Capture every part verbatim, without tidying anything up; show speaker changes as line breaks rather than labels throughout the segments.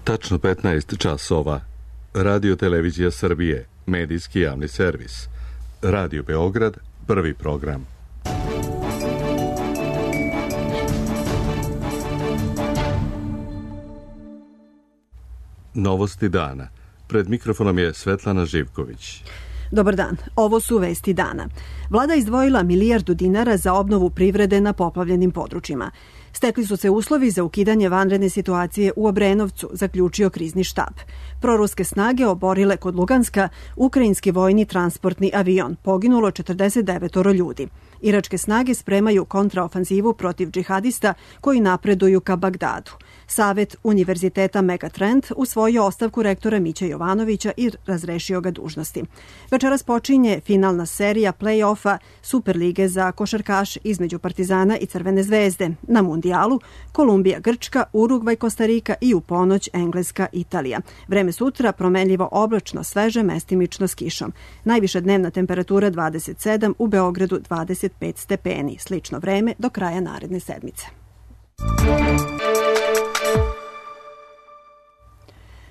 Tačno petnaest časova. Radio Televizija Srbije, medijski javni servis. Radio Beograd, prvi program. Novosti dana. Pred mikrofonom je Svetlana Živković.
Dobar dan, ovo su vesti dana. Vlada izdvojila milijardu dinara za obnovu privrede na poplavljenim područjima. Stekli su se uslovi za ukidanje vanredne situacije u Obrenovcu, zaključio krizni štab. Proruske snage oborile kod Luganska ukrajinski vojni transportni avion. Poginulo četrdeset devet ljudi. Iračke snage spremaju kontraofanzivu protiv džihadista koji napreduju ka Bagdadu. Savet Univerziteta Megatrend usvojio ostavku rektora Miće Jovanovića i razrešio ga dužnosti. Večeras počinje finalna serija play-offa Superlige za košarkaš između Partizana i Crvene zvezde. Na mundijalu Kolumbija, Grčka, Urugvaj, Kostarika i u ponoć Engleska, Italija. Vreme sutra promenljivo oblačno, sveže, mestimično s kišom. Najviša dnevna temperatura dvadeset sedam, u Beogradu dvadeset pet stepeni. Slično vreme do kraja naredne sedmice.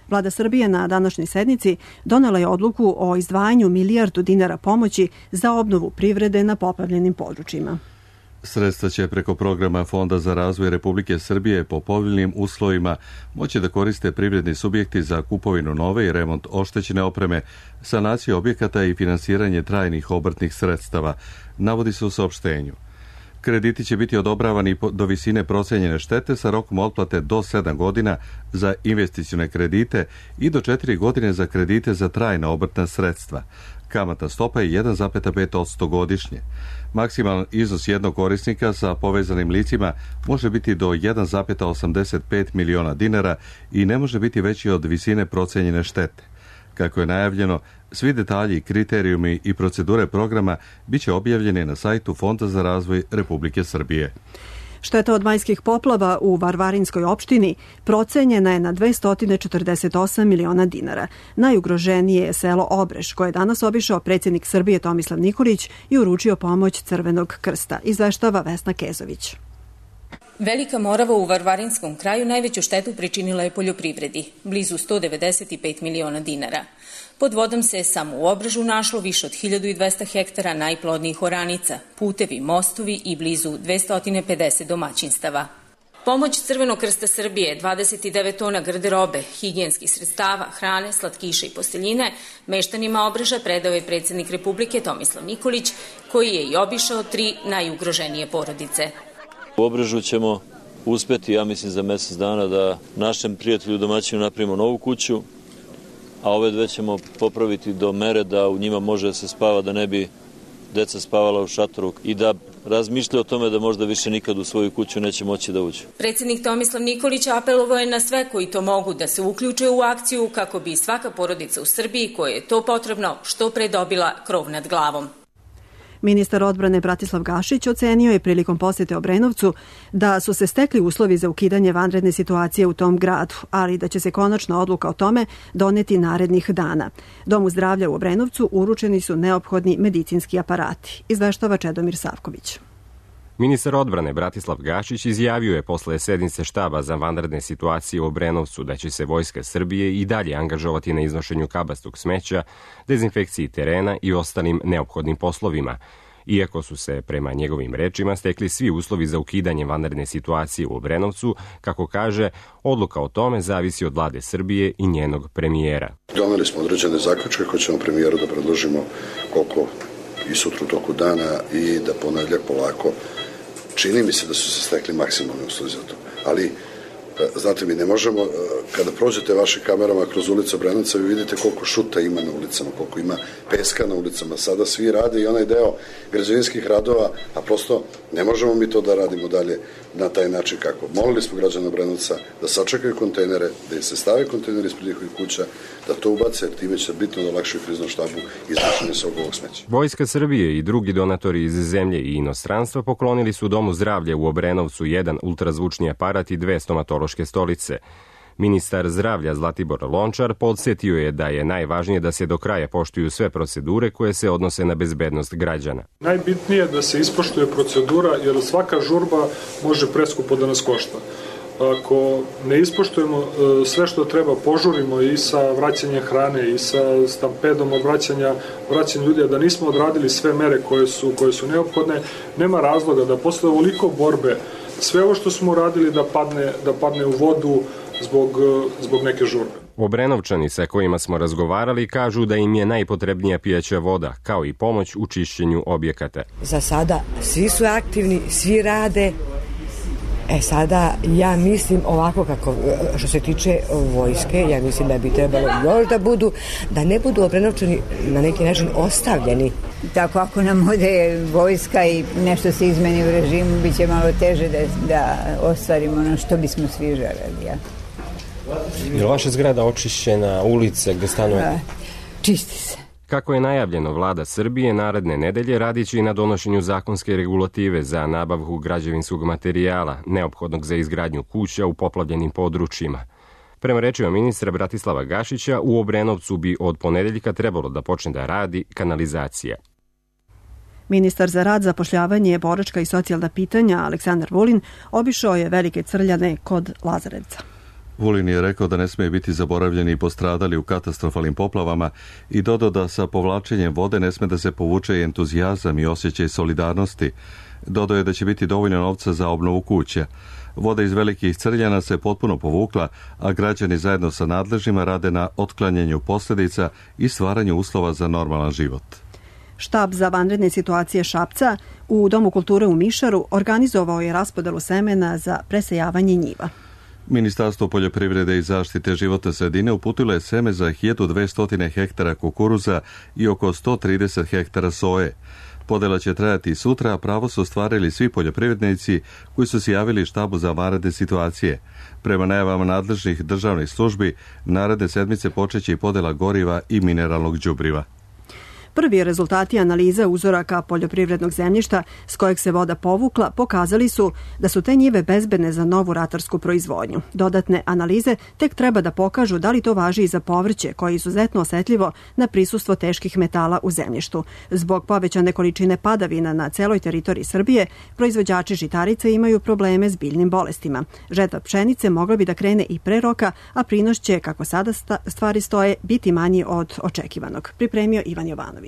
Vlada Srbije na današnjoj sednici donela je odluku o izdvajanju milijardu dinara pomoći za obnovu privrede na poplavljenim područjima.
Sredstva će preko programa Fonda za razvoj Republike Srbije po povoljnim uslovima moći da koriste privredni subjekti za kupovinu nove i remont oštećene opreme, sanaciju objekata i finansiranje trajnih obrtnih sredstava, navodi se u saopštenju. Krediti će biti odobravani do visine procenjene štete sa rokom otplate do sedam godina za investicione kredite i do četiri godine za kredite za trajna obrtna sredstva. Kamatna stopa je jedan zarez pet posto godišnje. Maksimalan iznos jednog korisnika sa povezanim licima može biti do jedan zarez osamdeset pet miliona dinara i ne može biti veći od visine procenjene štete. Kako je najavljeno, svi detalji, kriterijumi i procedure programa biće objavljeni na sajtu Fonda za razvoj Republike Srbije.
Šteta od majskih poplava u Varvarinskoj opštini procenjena je na dvesta četrdeset osam miliona dinara. Najugroženije je selo Obreš, koje je danas obišao predsjednik Srbije Tomislav Nikolić i uručio pomoć Crvenog krsta, izveštava Vesna Kezović.
Velika Morava u Varvarinskom kraju najveću štetu pričinila je poljoprivredi, blizu sto devedeset pet miliona dinara. Pod vodom se samo u Obrežu našlo više od hiljadu dvesta hektara najplodnijih oranica, putevi, mostovi i blizu dvesta pedeset domaćinstava. Pomoć Crvenog krsta Srbije, dvadeset devet tona garderobe, higijenskih sredstava, hrane, slatkiša i posteljine, meštanima Obreža predao je predsjednik Republike Tomislav Nikolić, koji je i obišao tri najugroženije porodice.
U Obrežu ćemo uspeti, ja mislim, za mjesec dana da našem prijatelju domaćinu napravimo novu kuću, a ove dve ćemo popraviti do mere da u njima može da se spava, da ne bi deca spavala u šatoru i da razmišlja o tome da možda više nikad u svoju kuću neće moći da uđe.
Predsjednik Tomislav Nikolić apelovao je na sve koji to mogu da se uključe u akciju kako bi svaka porodica u Srbiji koja je to potrebno što pre dobila krov nad glavom.
Ministar odbrane Bratislav Gašić ocenio je prilikom posjete Obrenovcu da su se stekli uslovi za ukidanje vanredne situacije u tom gradu, ali da će se konačna odluka o tome doneti narednih dana. Domu zdravlja u Obrenovcu uručeni su neophodni medicinski aparati, izveštava Čedomir Savković.
Ministar odbrane Bratislav Gašić izjavio je posle sednice štaba za vanredne situacije u Obrenovcu da će se Vojska Srbije i dalje angažovati na iznošenju kabastog smeća, dezinfekciji terena i ostalim neophodnim poslovima, iako su se, prema njegovim rečima, stekli svi uslovi za ukidanje vanredne situacije u Obrenovcu. Kako kaže, odluka o tome zavisi od vlade Srbije i njenog premijera.
Doneli smo određene zaključke koje ćemo premijeru da predložimo koliko i sutra u toku dana i da ponedjeljak polako. Čini mi se da su se stekli maksimalni uslovi za to. Ali, znate mi, ne možemo, kada prođete vašim kamerama kroz ulicu Obrenovca, vi vidite koliko šuta ima na ulicama, koliko ima peska na ulicama. Sada svi rade i onaj deo građevinskih radova, a prosto ne možemo mi to da radimo dalje na taj način kako. Molili smo građana Obrenovca da sačekaju kontejnere, da im se stave kontejneri ispred njihovih kuća, da to ubace, jer time će bitno da olakšaju kriznom štabu iznošenje svog ovog smeća.
Vojska Srbije i drugi donatori iz zemlje i inostranstva poklonili su Domu zdravlja u Obrenovcu jedan ultrazvučni aparat i dve stomatološke stolice. Ministar zdravlja Zlatibor Lončar podsjetio je da je najvažnije da se do kraja poštuju sve procedure koje se odnose na bezbednost građana.
Najbitnije je da se ispoštuje procedura, jer svaka žurba može preskupo da nas košta. ako ne ispoštujemo sve što treba, požurimo i sa vraćanjem hrane i sa stampedom od vraćanja, vraćanja ljudi, a da nismo odradili sve mere koje su, koje su neophodne, nema razloga da posle ovoliko borbe sve ovo što smo uradili da padne, da padne u vodu zbog, zbog neke žurbe.
Obrenovčani sa kojima smo razgovarali kažu da im je najpotrebnija pijaća voda, kao i pomoć u čišćenju objekata.
Za sada svi su aktivni, svi rade. E sada, ja mislim ovako kako, što se tiče vojske, ja mislim da bi trebalo još da budu, da ne budu Obrenovčani na neki način ostavljeni.
Tako ako nam ode vojska i nešto se izmeni u režimu, bit će malo teže da, da ostvarimo ono što bismo svi želeli. Ja.
Je li vaša zgrada očišćena, ulice gde stanujete?
Čisti se.
Kako je najavljeno, vlada Srbije naredne nedelje radit će i na donošenju zakonske regulative za nabavku građevinskog materijala, neophodnog za izgradnju kuća u poplavljenim područjima. Prema rečima ministra Bratislava Gašića, u Obrenovcu bi od ponedeljka trebalo da počne da radi kanalizacija.
Ministar za rad, zapošljavanje, boračka i socijalna pitanja Aleksandar Vulin obišao je Velike Crljane kod Lazarevca.
Vulin je rekao da ne smije biti zaboravljeni i postradali u katastrofalnim poplavama i dodao da sa povlačenjem vode ne sme da se povuče entuzijazam i osjećaj solidarnosti. Dodao je da će biti dovoljno novca za obnovu kuća. Voda iz Velikih Crljana se potpuno povukla, a građani zajedno sa nadležnjima rade na otklanjanju posljedica i stvaranju uslova za normalan život.
Štab za vanredne situacije Šapca u Domu kulture u Mišaru organizovao je raspodelu semena za presejavanje njiva.
Ministarstvo poljoprivrede i zaštite životne sredine uputilo je seme za hiljadu dvesta hektara kukuruza i oko sto trideset hektara soje. Podela će trajati sutra, a pravo su ostvarili svi poljoprivrednici koji su se javili štabu za vanredne situacije. Prema najavama nadležnih državnih službi, naredne sedmice počeće i podela goriva i mineralnog đubriva.
Prvi rezultati analiza uzoraka poljoprivrednog zemljišta s kojeg se voda povukla pokazali su da su te njive bezbedne za novu ratarsku proizvodnju. Dodatne analize tek treba da pokažu da li to važi i za povrće koje je izuzetno osetljivo na prisustvo teških metala u zemljištu. Zbog povećane količine padavina na celoj teritoriji Srbije, proizvođači žitarica imaju probleme s biljnim bolestima. Žetva pšenice mogla bi da krene i pre roka, a prinos će, kako sada stvari stoje, biti manji od očekivanog. Pripremio Ivan Jovanović.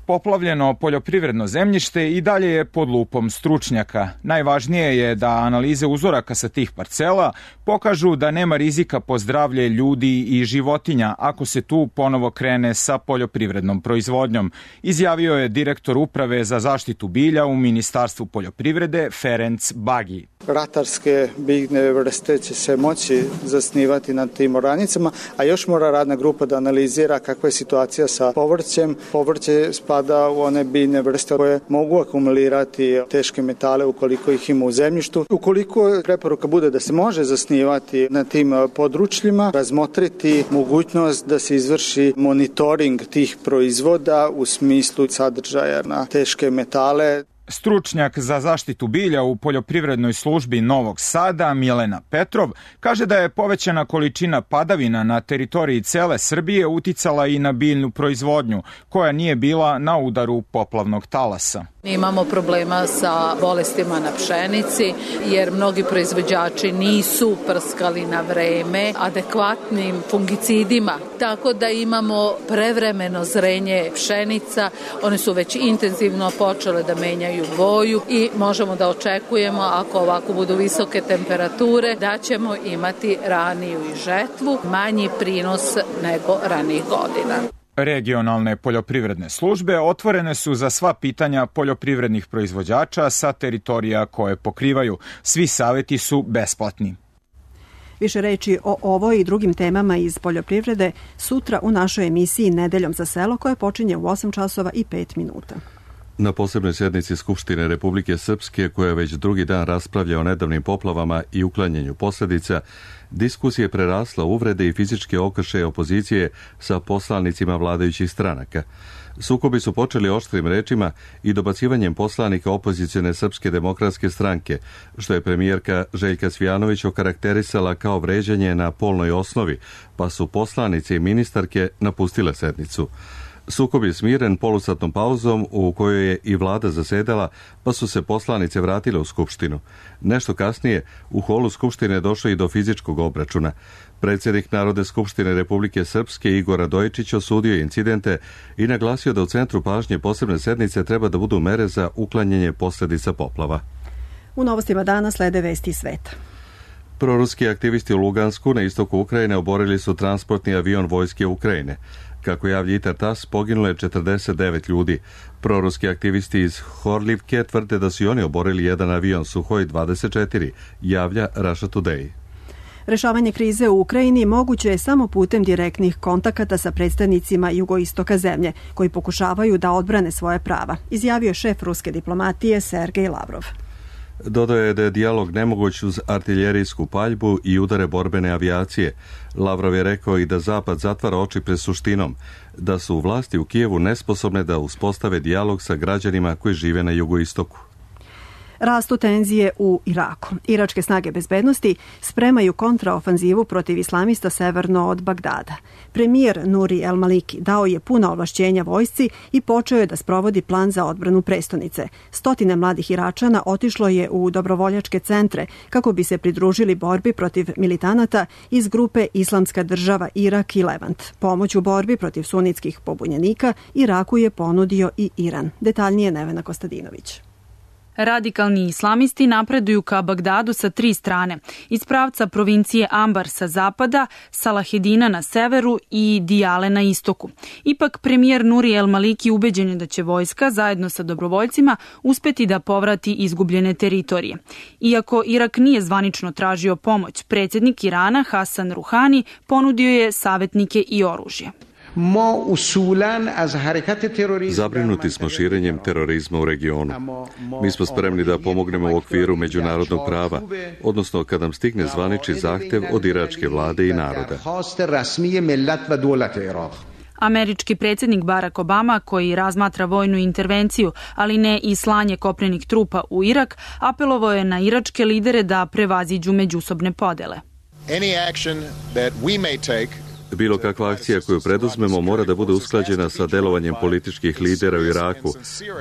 Poplavljeno poljoprivredno zemljište i dalje je pod lupom stručnjaka. Najvažnije je da analize uzoraka sa tih parcela pokažu da nema rizika po zdravlje ljudi i životinja ako se tu ponovo krene sa poljoprivrednom proizvodnjom, izjavio je direktor Uprave za zaštitu bilja u Ministarstvu poljoprivrede Ferenc Bagi.
Ratarske biljne vrste će se moći zasnivati na tim oranicama, a još mora radna grupa da analizira kakva je situacija sa povrćem. Povrće spada u one biljne vrste koje mogu akumulirati teške metale ukoliko ih ima u zemljištu. Ukoliko preporuka bude da se može zasnivati na tim područjima, razmotriti mogućnost da se izvrši monitoring tih proizvoda u smislu sadržaja na teške metale.
Stručnjak za zaštitu bilja u poljoprivrednoj službi Novog Sada, Milena Petrov, kaže da je povećana količina padavina na teritoriji cele Srbije uticala i na biljnu proizvodnju, koja nije bila na udaru poplavnog talasa.
Imamo problema sa bolestima na pšenici, jer mnogi proizvođači nisu prskali na vreme adekvatnim fungicidima, tako da imamo prevremeno zrenje pšenica, one su već intenzivno počele da menjaju boju i možemo da očekujemo, ako ovako budu visoke temperature, da ćemo imati raniju i žetvu, manji prinos nego ranijih godina.
Regionalne poljoprivredne službe otvorene su za sva pitanja poljoprivrednih proizvođača sa teritorija koje pokrivaju. Svi saveti su besplatni.
Više reči o ovoj i drugim temama iz poljoprivrede sutra u našoj emisiji Nedeljom za selo, koja počinje u osam časova i pet minuta.
Na posebnoj sjednici Skupštine Republike Srpske, koja već drugi dan raspravlja o nedavnim poplavama i uklanjanju posljedica, diskusije prerasla uvrede i fizičke okršaje opozicije sa poslanicima vladajućih stranaka. Sukobi su počeli oštrim rečima i dobacivanjem poslanika opozicione Srpske demokratske stranke, što je premijerka Željka Cvijanović okarakterisala kao vređanje na polnoj osnovi, pa su poslanice i ministarke napustile sednicu. Sukob je smiren polusatnom pauzom u kojoj je i vlada zasedala, pa su se poslanice vratile u Skupštinu. Nešto kasnije u holu Skupštine došlo i do fizičkog obračuna. Predsjednik Narodne skupštine Republike Srpske Igor Radojičić osudio incidente i naglasio da u centru pažnje posebne sednice treba da budu mere za uklanjanje posljedica poplava.
U novostima dana slede vesti sveta.
Proruski aktivisti u Lugansku na istoku Ukrajine oborili su transportni avion vojske Ukrajine. Kako javlja Intertas, poginulo je četrdeset devet ljudi. Proruski aktivisti iz Horlivke tvrde da su i oni oborili jedan avion Suhoj dvadeset četiri, javlja Russia Today.
Rešavanje krize u Ukrajini moguće je samo putem direktnih kontakata sa predstavnicima jugoistoka zemlje, koji pokušavaju da odbrane svoje prava, izjavio je šef ruske diplomatije Sergej Lavrov.
Dodao je da je dijalog nemoguć uz artiljerijsku paljbu i udare borbene avijacije. Lavrov je rekao i da Zapad zatvara oči pred suštinom, da su vlasti u Kijevu nesposobne da uspostave dijalog sa građanima koji žive na jugoistoku.
Rastu tenzije u Iraku. Iračke snage bezbednosti spremaju kontraofanzivu protiv islamista severno od Bagdada. Premijer Nuri El Maliki dao je puna ovlašćenja vojsci i počeo je da sprovodi plan za odbranu prestonice. Stotine mladih Iračana otišlo je u dobrovoljačke centre kako bi se pridružili borbi protiv militanata iz grupe Islamska država Irak i Levant. Pomoć u borbi protiv sunitskih pobunjenika Iraku je ponudio i Iran. Detaljnije Nevena Kostadinović.
Radikalni islamisti napreduju ka Bagdadu sa tri strane, iz pravca provincije Ambar sa zapada, Salahedina na severu i Dijale na istoku. Ipak premijer Nuri El Maliki ubeđen je da će vojska zajedno sa dobrovoljcima uspeti da povrati izgubljene teritorije. Iako Irak nije zvanično tražio pomoć, predsjednik Irana Hasan Ruhani ponudio je savjetnike i oružje.
Zabrinuti smo širenjem terorizma u regionu. Mi smo spremni da pomognemo u okviru međunarodnog prava, odnosno kad nam stigne zvanični zahtev od iračke vlade i naroda.
Američki predsjednik Barack Obama, koji razmatra vojnu intervenciju, ali ne i slanje kopnenih trupa u Irak, apelovao je na iračke lidere da prevaziđu međusobne podele.
Bilo kakva akcija koju preduzmemo mora da bude usklađena sa delovanjem političkih lidera u Iraku,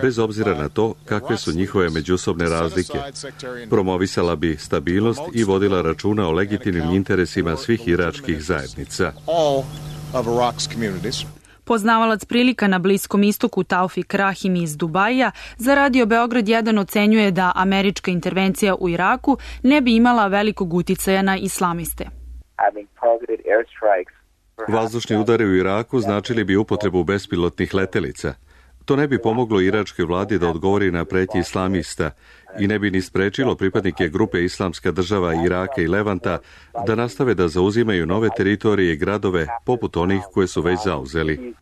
bez obzira na to kakve su njihove međusobne razlike. Promovisala bi stabilnost i vodila računa o legitimnim interesima svih iračkih zajednica.
Poznavalac prilika na Bliskom istoku Taufik Rahim iz Dubaija za Radio Beograd jedan ocenjuje da američka intervencija u Iraku ne bi imala velikog uticaja na islamiste.
Vazdušni udari u Iraku značili bi upotrebu bespilotnih letelica. To ne bi pomoglo iračkoj vladi da odgovori na pretnje islamista i ne bi ni sprečilo pripadnike grupe Islamska država Iraka i Levanta da nastave da zauzimaju nove teritorije i gradove poput onih koje su već zauzeli.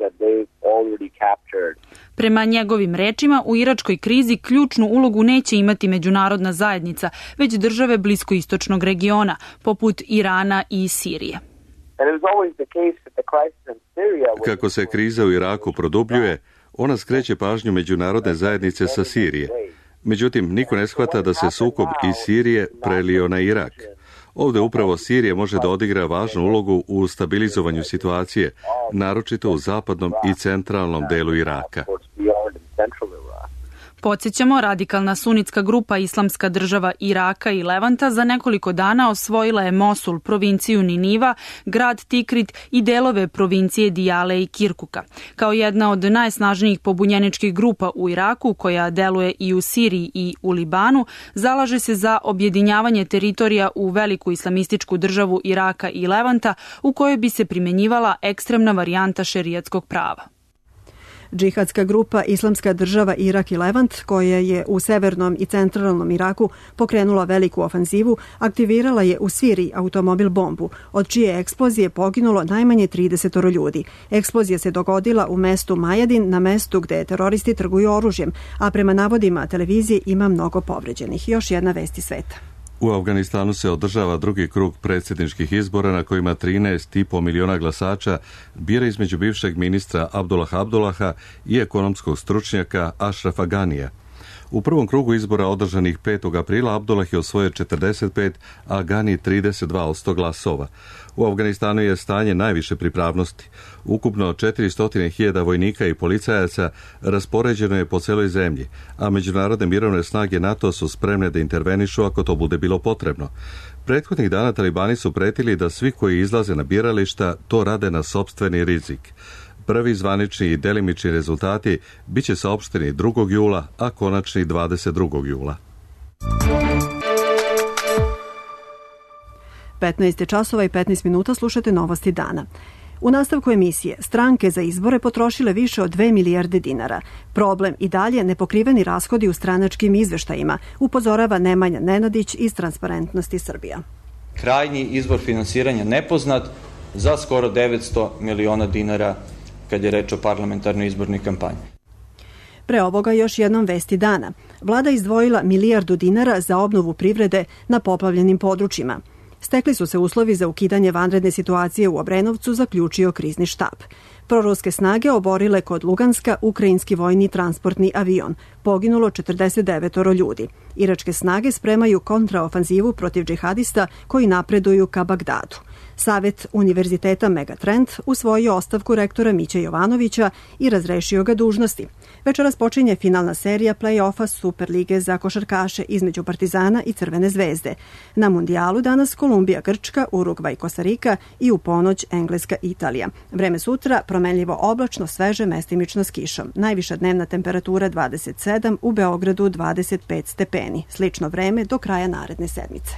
Prema njegovim rečima, u iračkoj krizi ključnu ulogu neće imati međunarodna zajednica, već države bliskoistočnog regiona, poput Irana i Sirije.
Kako se kriza u Iraku produbljuje, ona skreće pažnju međunarodne zajednice sa Sirije. Međutim, niko ne shvata da se sukob iz Sirije prelio na Irak. Ovdje upravo Sirija može da odigra važnu ulogu u stabilizovanju situacije, naročito u zapadnom i centralnom delu Iraka.
Podsjećamo, radikalna sunitska grupa Islamska država Iraka i Levanta za nekoliko dana osvojila je Mosul, provinciju Niniva, grad Tikrit i delove provincije Dijale i Kirkuka. Kao jedna od najsnažnijih pobunjeničkih grupa u Iraku, koja deluje i u Siriji i u Libanu, zalaže se za objedinjavanje teritorija u veliku islamističku državu Iraka i Levanta, u kojoj bi se primjenjivala ekstremna varijanta šerijatskog prava.
Džihadska grupa Islamska država Irak i Levant, koja je u severnom i centralnom Iraku pokrenula veliku ofanzivu, aktivirala je u Siriji automobil bombu, od čije eksplozije poginulo najmanje trideset ljudi. Eksplozija se dogodila u mestu Majadin, na mestu gde teroristi trguju oružjem, a prema navodima televizije ima mnogo povređenih. Još jedna vesti sveta.
U Afganistanu se održava drugi krug predsjedničkih izbora na kojima trinaest i po miliona glasača bira između bivšeg ministra Abdullah Abdullaha i ekonomskog stručnjaka Ashrafa Ganija. U prvom krugu izbora održanih petog aprila Abdullah je osvojio četrdeset pet, a Gani trideset dva posto glasova. U Afganistanu je stanje najviše pripravnosti. Ukupno četiristo hiljada vojnika i policajaca raspoređeno je po celoj zemlji, a međunarodne mirovne snage NATO su spremne da intervenišu ako to bude bilo potrebno. Prethodnih dana talibani su pretili da svi koji izlaze na birališta to rade na sopstveni rizik. Prvi zvanični i delimični rezultati biće saopšteni drugog jula, a konačni dvadeset drugog jula.
petnaest časova i petnaest minuta, slušate novosti dana. U nastavku emisije, stranke za izbore potrošile više od dve milijarde dinara. Problem i dalje nepokriveni rashodi u stranačkim izveštajima, upozorava Nemanja Nenadić iz Transparentnosti Srbija.
Krajnji izvor finansiranja nepoznat za skoro devetsto miliona dinara kad je reč o parlamentarnoj izbornoj kampanji.
Pre ovoga još jednom vesti dana. Vlada izdvojila milijardu dinara za obnovu privrede na poplavljenim područjima. Stekli su se uslovi za ukidanje vanredne situacije u Obrenovcu, zaključio krizni štab. Proruske snage oborile kod Luganska ukrajinski vojni transportni avion. Poginulo četrdeset devet ljudi. Iračke snage spremaju kontraofanzivu protiv džihadista koji napreduju ka Bagdadu. Savet Univerziteta Megatrend usvojio ostavku rektora Mića Jovanovića i razrešio ga dužnosti. Večeras počinje finalna serija play-offa Superlige za košarkaše između Partizana i Crvene zvezde. Na mundijalu danas Kolumbija, Grčka, Urugvaj, Kostarika i u ponoć Engleska, Italija. Vreme sutra promenljivo oblačno, sveže, mestimično s kišom. Najviša dnevna temperatura dvadeset sedam, u Beogradu dvadeset pet stepeni. Slično vreme do kraja naredne sedmice.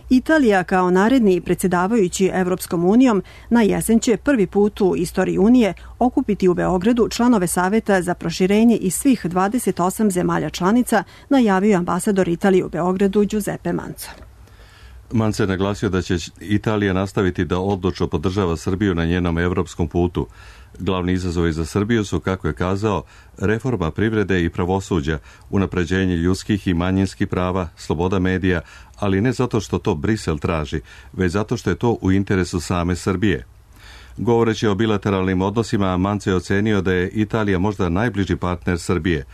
Italija kao naredni predsjedavajući Evropskom unijom na jesen će prvi put u istoriji Unije okupiti u Beogradu članove Saveta za proširenje iz svih dvadeset osam zemalja članica, najavio ambasador Italije u Beogradu Giuseppe Manzo.
Manzo je naglasio da će Italija nastaviti da odlučno podržava Srbiju na njenom evropskom putu. Glavni izazovi za Srbiju su, kako je kazao, reforma privrede i pravosuđa, unapređenje ljudskih i manjinskih prava, sloboda medija, ali ne zato što to Brisel traži, već zato što je to u interesu same Srbije. Govoreći o bilateralnim odnosima, Manzo je ocenio da je Italija možda najbliži partner Srbije.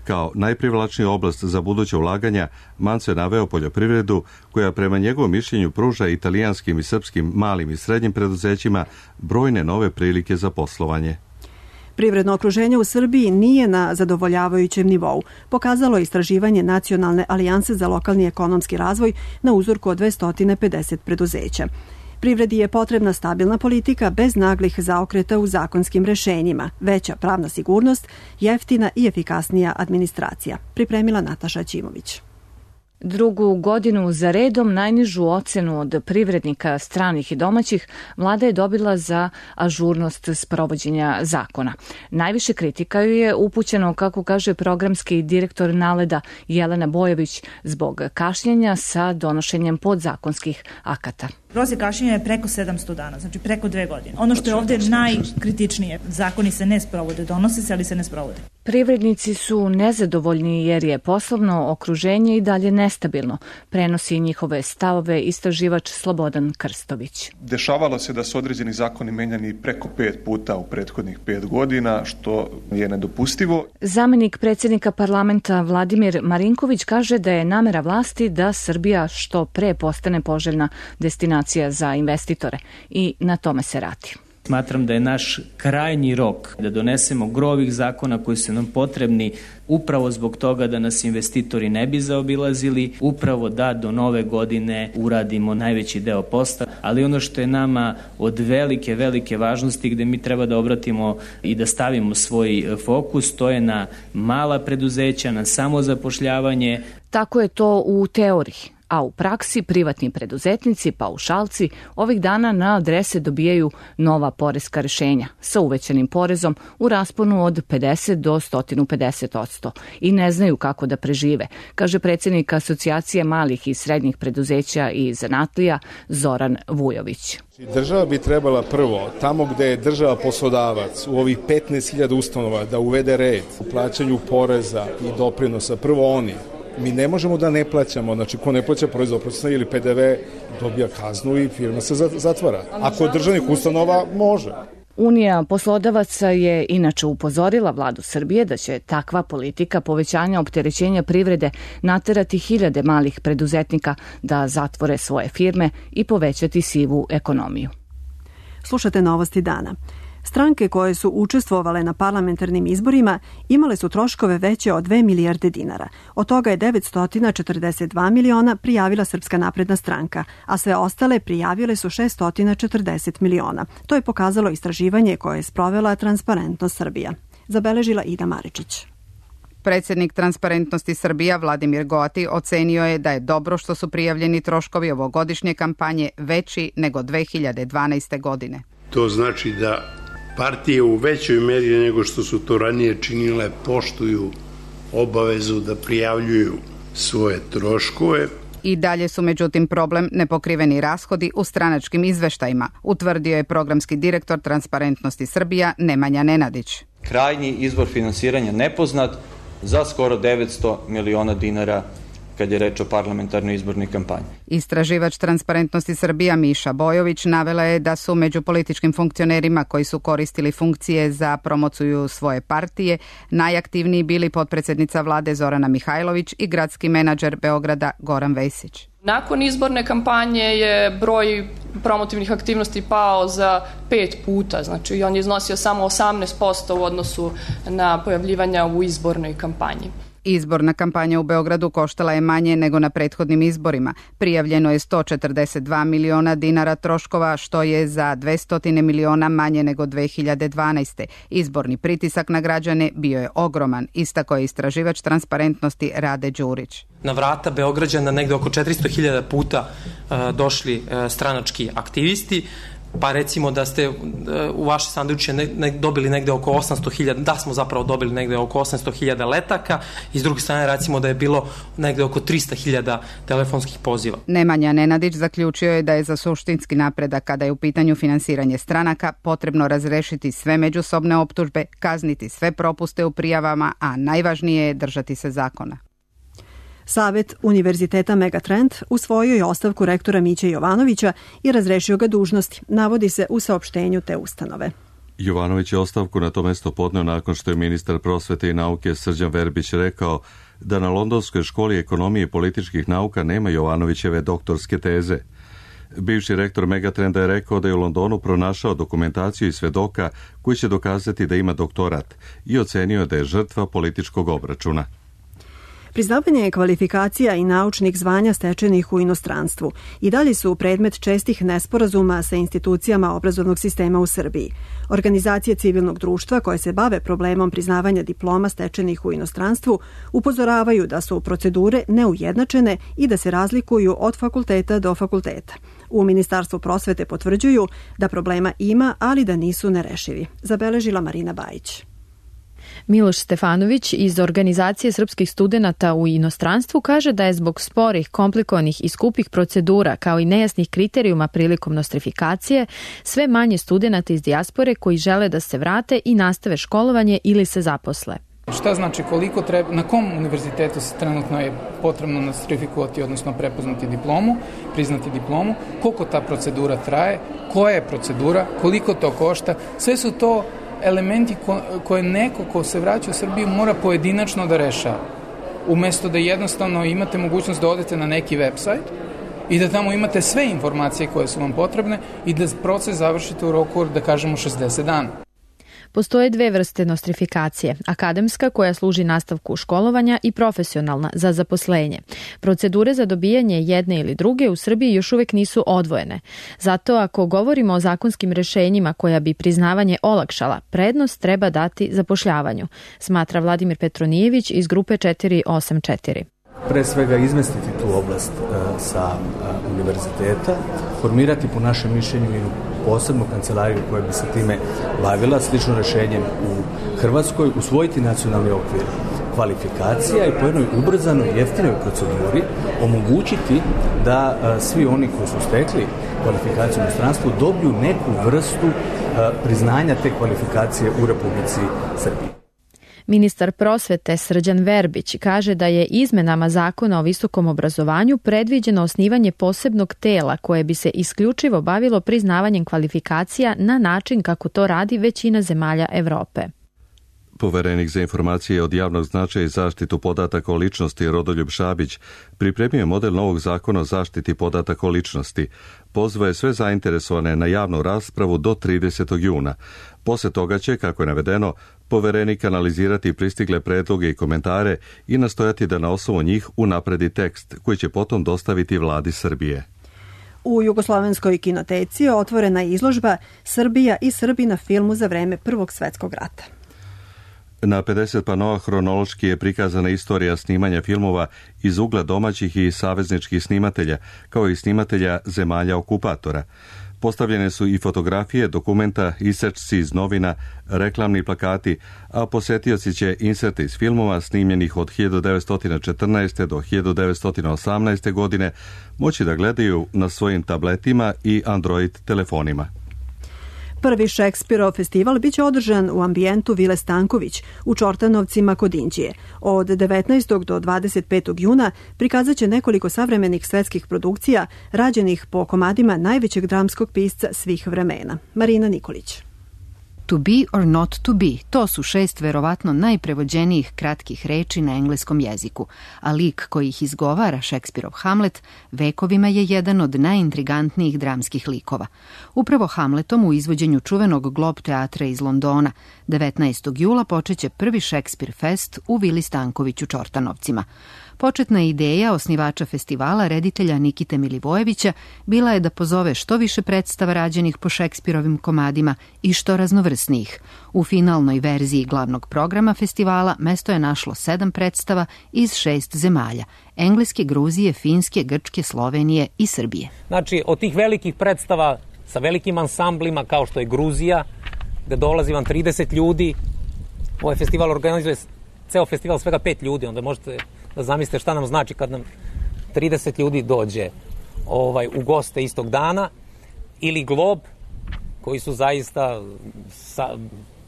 Kao najprivlačniju oblast za buduće ulaganja, Manzo je naveo poljoprivredu, koja prema njegovom mišljenju pruža italijanskim i srpskim malim i srednjim preduzećima brojne nove prilike za poslovanje.
Privredno okruženje u Srbiji nije na zadovoljavajućem nivou, pokazalo je istraživanje Nacionalne alijanse za lokalni ekonomski razvoj na uzorku od dvesta pedeset preduzeća. Privredi je potrebna stabilna politika bez naglih zaokreta u zakonskim rešenjima, veća pravna sigurnost, jeftina i efikasnija administracija, pripremila Nataša Ćimović.
Drugu godinu za redom najnižu ocenu od privrednika stranih i domaćih vlada je dobila za ažurnost sprovođenja zakona. Najviše kritika ju je upućeno, kako kaže programski direktor Naleda Jelena Bojović, zbog kašnjenja sa donošenjem podzakonskih akata.
Prosjek kašnjenja je preko sedamsto dana, znači preko dve godine. Ono što je ovdje najkritičnije, zakoni se ne sprovode, donose se, ali se ne sprovode.
Privrednici su nezadovoljni jer je poslovno okruženje i dalje nestabilno, prenosi njihove stavove istraživač Slobodan Krstović.
Dešavalo se da su određeni zakoni menjani preko pet puta u prethodnih pet godina, što je nedopustivo.
Zamenik predsjednika parlamenta Vladimir Marinković kaže da je namera vlasti da Srbija što pre postane poželjna destinacija za investitore i na tome se radi.
Smatram da je naš krajnji rok da donesemo gro ovih zakona koji su nam potrebni upravo zbog toga da nas investitori ne bi zaobilazili, upravo da do nove godine uradimo najveći deo posla, ali ono što je nama od velike, velike važnosti gde mi treba da obratimo i da stavimo svoj fokus, to je na mala preduzeća, na samozapošljavanje.
Tako je to u teoriji. A u praksi privatni preduzetnici, paušalci, ovih dana na adrese dobijaju nova poreska rešenja sa uvećanim porezom u rasponu od pedeset do sto pedeset odsto i ne znaju kako da prežive, kaže predsjednik Asocijacije malih i srednjih preduzeća i zanatlija Zoran Vujović.
Država bi trebala prvo, tamo gde je država poslodavac, u ovih petnaest hiljada ustanova, da uvede red u plaćanju poreza i doprinosa, prvo oni. Mi ne možemo da ne plaćamo, znači ko ne plaća porez doprinosa ili P D V dobija kaznu i firma se zatvara. Ako je državnih ustanova, može.
Unija poslodavaca je inače upozorila vladu Srbije da će takva politika povećanja opterećenja privrede naterati hiljade malih preduzetnika da zatvore svoje firme i povećati sivu ekonomiju.
Slušate Novosti dana. Stranke koje su učestvovale na parlamentarnim izborima imale su troškove veće od dve milijarde dinara. Od toga je devetsto četrdeset dva miliona prijavila Srpska napredna stranka, a sve ostale prijavile su šeststo četrdeset miliona. To je pokazalo istraživanje koje je sprovela Transparentnost Srbija. Zabeležila Ida Maričić.
Predsednik Transparentnosti Srbija Vladimir Goati ocenio je da je dobro što su prijavljeni troškovi ovogodišnje kampanje veći nego dve hiljade dvanaeste. godine.
To znači da partije u većoj meri nego što su to ranije činile poštuju obavezu da prijavljuju svoje troškove.
I dalje su međutim problem nepokriveni rashodi u stranačkim izveštajima, utvrdio je programski direktor Transparentnosti Srbija Nemanja Nenadić.
Krajnji izvor finansiranja nepoznat za skoro devetsto miliona dinara kad je reč o parlamentarnoj izbornoj kampanji.
Istraživač Transparentnosti Srbija Miša Bojović navela je da su među političkim funkcionerima koji su koristili funkcije za promociju svoje partije najaktivniji bili potpredsednica vlade Zorana Mihajlović i gradski menadžer Beograda Goran Vesić.
Nakon izborne kampanje je broj promotivnih aktivnosti pao za pet puta, znači on je iznosio samo osamnaest posto u odnosu na pojavljivanja u izbornoj kampanji.
Izborna kampanja u Beogradu koštala je manje nego na prethodnim izborima. Prijavljeno je sto četrdeset dva miliona dinara troškova, što je za dvesta miliona manje nego dve hiljade dvanaeste. Izborni pritisak na građane bio je ogroman, istako je istraživač Transparentnosti Rade Đurić.
Na vrata Beograđana negde oko četiristo hiljada puta uh, došli uh, stranački aktivisti, pa recimo da ste uh, u vaše sanduče ne, ne, dobili negde oko osamsto hiljada, da smo zapravo dobili negde oko osamsto hiljada letaka i s druge strane recimo da je bilo negde oko trista hiljada telefonskih poziva.
Nemanja Nenadić zaključio je da je za suštinski napredak kada je u pitanju finansiranje stranaka potrebno razrešiti sve međusobne optužbe, kazniti sve propuste u prijavama, a najvažnije je držati se zakona.
Savet Univerziteta Megatrend usvojio je ostavku rektora Miće Jovanovića i razrešio ga dužnosti, navodi se u saopštenju te ustanove.
Jovanović je ostavku na to mesto podneo nakon što je ministar prosvete i nauke Srđan Verbić rekao da na Londonskoj školi ekonomije i političkih nauka nema Jovanovićeve doktorske teze. Bivši rektor Megatrenda je rekao da je u Londonu pronašao dokumentaciju i svedoka koji će dokazati da ima doktorat i ocenio da je žrtva političkog obračuna.
Priznavanje kvalifikacija i naučnih zvanja stečenih u inostranstvu i dalje su predmet čestih nesporazuma sa institucijama obrazovnog sistema u Srbiji. Organizacije civilnog društva koje se bave problemom priznavanja diploma stečenih u inostranstvu upozoravaju da su procedure neujednačene i da se razlikuju od fakulteta do fakulteta. U Ministarstvu prosvete potvrđuju da problema ima, ali da nisu nerešivi. Zabeležila Marina Bajić.
Miloš Stefanović iz Organizacije srpskih studenata u inostranstvu kaže da je zbog sporih, komplikovanih i skupih procedura kao i nejasnih kriterijuma prilikom nostrifikacije sve manje studenata iz dijaspore koji žele da se vrate i nastave školovanje ili se zaposle.
Šta znači koliko treba, na kom univerzitetu se trenutno je potrebno nostrifikovati, odnosno prepoznati diplomu, priznati diplomu, koliko ta procedura traje, koja je procedura, koliko to košta, sve su to elementi ko, koje neko ko se vraća u Srbiju mora pojedinačno da rešava. Umesto da jednostavno imate mogućnost da odete na neki website i da tamo imate sve informacije koje su vam potrebne i da proces završite u roku, da kažemo, šezdeset dana.
Postoje dve vrste nostrifikacije, akademska koja služi nastavku školovanja i profesionalna za zaposlenje. Procedure za dobijanje jedne ili druge u Srbiji još uvek nisu odvojene. Zato ako govorimo o zakonskim rešenjima koja bi priznavanje olakšala, prednost treba dati zapošljavanju, smatra Vladimir Petronijević iz grupe četiri osam četiri.
Pre svega izmestiti tu oblast uh, sa uh, univerziteta, formirati po našem mišljenju i posebnu kancelariju koja bi se time bavila, slično rešenjem u Hrvatskoj, usvojiti nacionalni okvir kvalifikacija i po jednoj ubrzanoj, jeftinoj proceduri omogućiti da uh, svi oni koji su stekli kvalifikaciju u inostranstvu dobiju neku vrstu uh, priznanja te kvalifikacije u Republici Srbiji.
Ministar prosvete Srđan Verbić kaže da je izmenama Zakona o visokom obrazovanju predviđeno osnivanje posebnog tela koje bi se isključivo bavilo priznavanjem kvalifikacija na način kako to radi većina zemalja Evrope.
Poverenik za informacije od javnog značaja i zaštitu podataka o ličnosti Rodoljub Šabić pripremio model novog zakona o zaštiti podataka o ličnosti. Pozvao je sve zainteresovane na javnu raspravu do tridesetog juna. Poslije toga će, kako je navedeno, poverenik analizirati pristigle predloge i komentare i nastojati da na osnovu njih unapredi tekst koji će potom dostaviti vladi Srbije.
U Jugoslovenskoj kinoteci otvorena je izložba Srbija i Srbi na filmu za vreme Prvog svetskog rata.
Na pedeset panoa hronološki je prikazana istorija snimanja filmova iz ugla domaćih i savezničkih snimatelja, kao i snimatelja zemalja okupatora. Postavljene su i fotografije, dokumenta, isečci iz novina, reklamni plakati, a posetioci će inserte iz filmova snimljenih od hiljadu devetsto četrnaeste. do hiljadu devetsto osamnaeste. godine moći da gledaju na svojim tabletima i Android telefonima.
Prvi Šekspirov festival biće održan u ambijentu Vile Stanković u Čortanovcima kod Inđije. Od devetnaestog do dvadeset petog juna prikazat će nekoliko savremenih svetskih produkcija rađenih po komadima najvećeg dramskog pisca svih vremena. Marina Nikolić.
To be or not to be, to su šest verovatno najprevođenijih kratkih reči na engleskom jeziku, a lik koji ih izgovara, Šekspirov Hamlet, vekovima je jedan od najintrigantnijih dramskih likova. Upravo Hamletom u izvođenju čuvenog Globe teatra iz Londona devetnaestog jula počeće prvi Šekspir Fest u Vili Stanković u Čortanovcima. Početna ideja osnivača festivala, reditelja Nikite Milivojevića, bila je da pozove što više predstava rađenih po Šekspirovim komadima i što raznovrsnijih. U finalnoj verziji glavnog programa festivala mesto je našlo sedam predstava iz šest zemalja: Engleske, Gruzije, Finske, Grčke, Slovenije i Srbije.
Znači, od tih velikih predstava sa velikim ansamblima kao što je Gruzija, gde dolazi vam trideset ljudi, ovaj festival organizuje ceo festival svega pet ljudi, onda možete da zamislite šta nam znači kad nam trideset ljudi dođe ovaj, u goste istog dana, ili Glob, koji su zaista sa,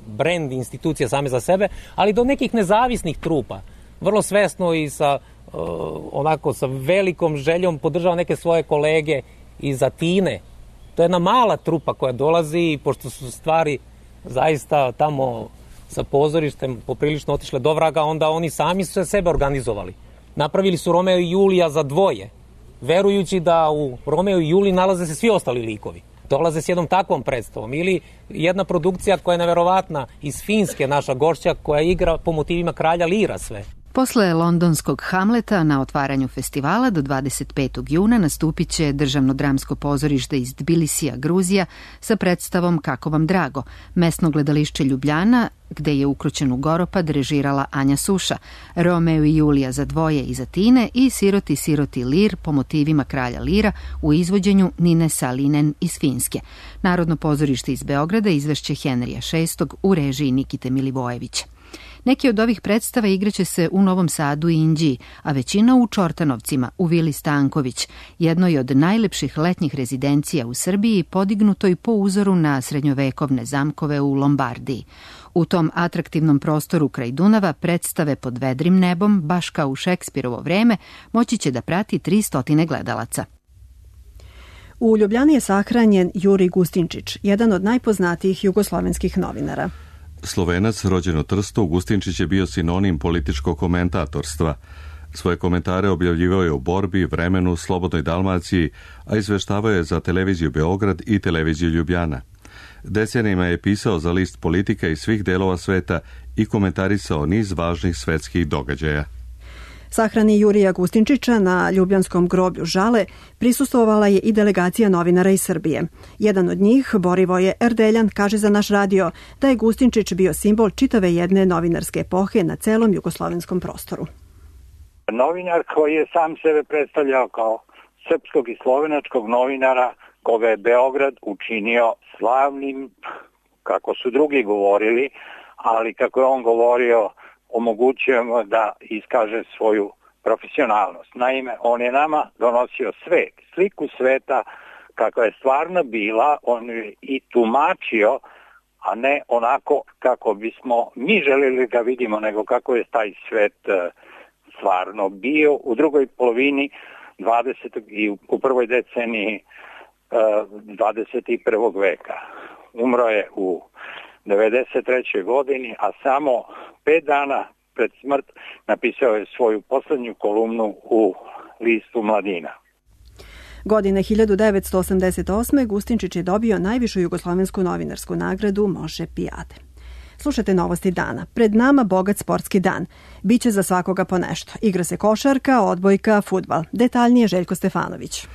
brand institucija same za sebe, ali do nekih nezavisnih trupa, vrlo svesno i sa uh, onako sa velikom željom podržava neke svoje kolege iz Atine. To je jedna mala trupa koja dolazi i pošto su stvari zaista tamo sa pozorištem poprilično otišle do vraga, onda oni sami su se sebe organizovali. Napravili su Romeo i Julija za dvoje, verujući da u Romeo i Juliji nalaze se svi ostali likovi. Dolaze s jednom takvom predstavom. Ili jedna produkcija koja je neverovatna iz Finske, naša gošća, koja igra po motivima kralja Lira sve.
Posle londonskog Hamleta na otvaranju festivala do dvadeset petog juna nastupit će Državno dramsko pozorište iz Tbilisija, Gruzija, sa predstavom Kako vam drago, mesno gledališće Ljubljana, gde je Ukrućenu Goropad režirala Anja Suša, Romeo i Julija za dvoje iz Atine i Siroti, siroti Lir po motivima kralja Lira u izvođenju Nine Salinen iz Finske. Narodno pozorište iz Beograda izvešće Henrija šestog u režiji Nikite Milivojevića. Neki od ovih predstava igraće se u Novom Sadu i Inđiji, a većina u Čortanovcima, u Vili Stanković, jednoj od najlepših letnjih rezidencija u Srbiji, podignutoj po uzoru na srednjovekovne zamkove u Lombardiji. U tom atraktivnom prostoru kraj Dunava predstave pod vedrim nebom, baš kao u Šekspirovo vreme, moći će da prati tristo gledalaca.
U Ljubljani je sahranjen Jurij Gustinčić, jedan od najpoznatijih jugoslovenskih novinara.
Slovenac, rođen u Trstu, Gustinčić je bio sinonim političkog komentatorstva. Svoje komentare objavljivao je u Borbi, Vremenu, Slobodnoj Dalmaciji, a izveštavao je za televiziju Beograd i televiziju Ljubljana. Decenijima je pisao za list Politika iz svih delova sveta i komentarisao niz važnih svetskih događaja.
Sahrani Jurija Gustinčića na Ljubljanskom groblju Žale prisustvovala je i delegacija novinara iz Srbije. Jedan od njih, Borivoje Erdeljan, kaže za naš radio da je Gustinčić bio simbol čitave jedne novinarske epohe na celom jugoslovenskom prostoru.
Novinar koji je sam sebe predstavljao kao srpskog i slovenačkog novinara, koga je Beograd učinio slavnim, kako su drugi govorili, ali kako je on govorio, omogućujemo da iskaže svoju profesionalnost. Naime, on je nama donosio svet, sliku sveta kakva je stvarno bila, on je i tumačio a ne onako kako bismo mi želeli ga vidimo, nego kako je taj svet stvarno bio u drugoj polovini dvadesetog i u prvoj deceniji dvadeset prvog veka. Umro je u devedeset trećoj godini, a samo pet dana pred smrt napisao je svoju poslednju kolumnu u listu Mladina.
Godine hiljadu devetsto osamdeset osme. Gustinčić je dobio najvišu jugoslovensku novinarsku nagradu Moše Pijade. Slušajte novosti dana. Pred nama bogat sportski dan. Biće za svakoga po nešto. Igra se košarka, odbojka, fudbal. Detaljnije Željko Stefanović.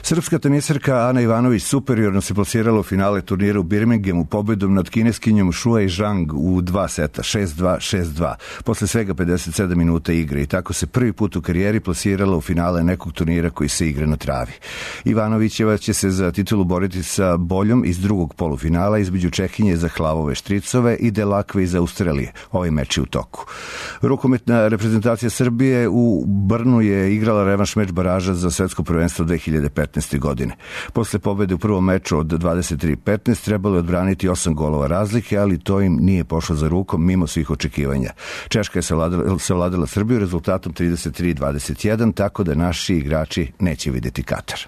Srpska tenisarka Ana Ivanović superiorno se plasirala u finale turnira u Birminghamu pobedom nad kineskinjom Shuai Zhang u dva seta, šest dva, šest dva, posle svega pedeset sedam minuta igre i tako se prvi put u karijeri plasirala u finale nekog turnira koji se igra na travi. Ivanovićeva će se za titulu boriti sa Boljom iz drugog polufinala između Čehinje za Hlavove Štricove i Delakve iz Australije. Ovaj meč je u toku. Rukometna reprezentacija Srbije u Brnu je igrala revanš meč baraža za svetsko prvenstvo dve hiljade petnaeste. godine. Posle pobede u prvom meču od dvadeset tri petnaest trebalo je odbraniti osam golova razlike, ali to im nije pošlo za rukom mimo svih očekivanja. Češka je savladala, savladala Srbiju rezultatom trideset tri dvadeset jedan, tako da naši igrači neće videti Katar.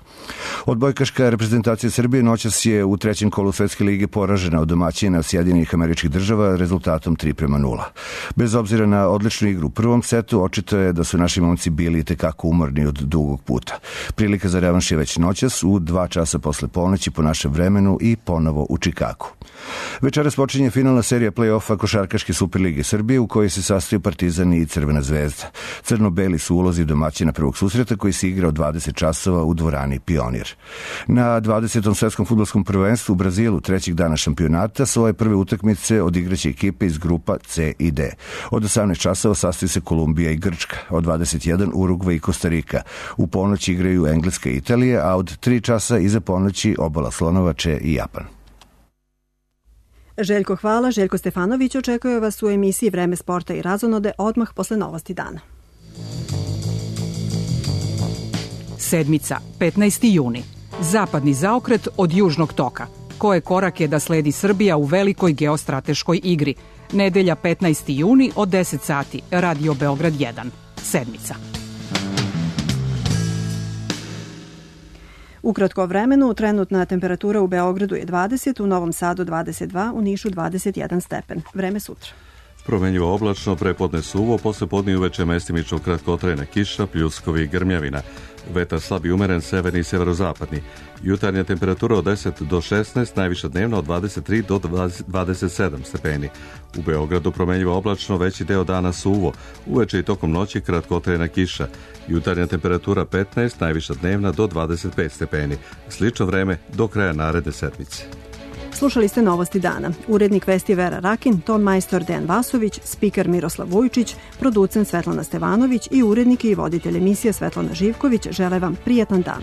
Odbojkaška reprezentacija Srbije noćas je u trećem kolu Svetske lige poražena od domaćina Sjedinjenih Američkih Država rezultatom tri prema nula. Bez obzira na odličnu igru u prvom setu, očito je da su naši momci bili tekako umorni od dugog puta. Prilika za revanš je već noćas u dva časa posle ponoći po našem vremenu i ponovo u Čikagu. Večeras počinje finalna serija play-offa Košarkaške Superlige Srbije u kojoj se sastaju Partizan i Crvena zvezda. Crno-beli su ulozi domaćina prvog susreta koji se igra od dvadeset časova u dvorani Pionir. Na dvadesetom svetskom fudbalskom prvenstvu u Brazilu trećeg dana šampionata svoje prve utakmice odigraće ekipe iz grupa C i D. Od osamnaest časova sastaju se Kolumbija i Grčka, od dvadeset jedan Urugvaj i Kostarika. U ponoć igraju Engleska i Italija, a od tri časa iza ponoći Obala Slonovače i Japan.
Željko, hvala. Željko Stefanović očekuje vas u emisiji Vreme sporta i razonode odmah posle novosti dana.
Sedmica, petnaesti juni. Zapadni zaokret od južnog toka. Koje korak je da sledi Srbija u velikoj geostrateškoj igri? Nedelja petnaesti juni od deset sati. Radio Beograd jedan. Sedmica.
Ukratko o vremenu, trenutna temperatura u Beogradu je dvadeset, u Novom Sadu dvadeset dva, u Nišu dvadeset jedan stepen. Vreme sutra.
Promenjivo oblačno, prepodne suvo, posle podne i uveče mestimično kratkotrajna kiša, pljuskovi i grmljavina. Vetar slab i umeren, severni i severozapadni. Jutarnja temperatura od deset do šesnaest, najviša dnevna od dvadeset tri do dvadeset sedam stepeni. U Beogradu promenjivo oblačno, veći deo dana suvo, uveče i tokom noći kratkotrajna kiša. Jutarnja temperatura petnaest, najviša dnevna do dvadeset pet stepeni. Slično vreme do kraja naredne sedmice.
Slušali ste novosti dana. Urednik vesti Vera Rakin, ton majstor Dejan Vasović, spiker Miroslav Vujčić, producent Svetlana Stevanović i urednik i voditelj emisije Svetlana Živković žele vam prijatan dan.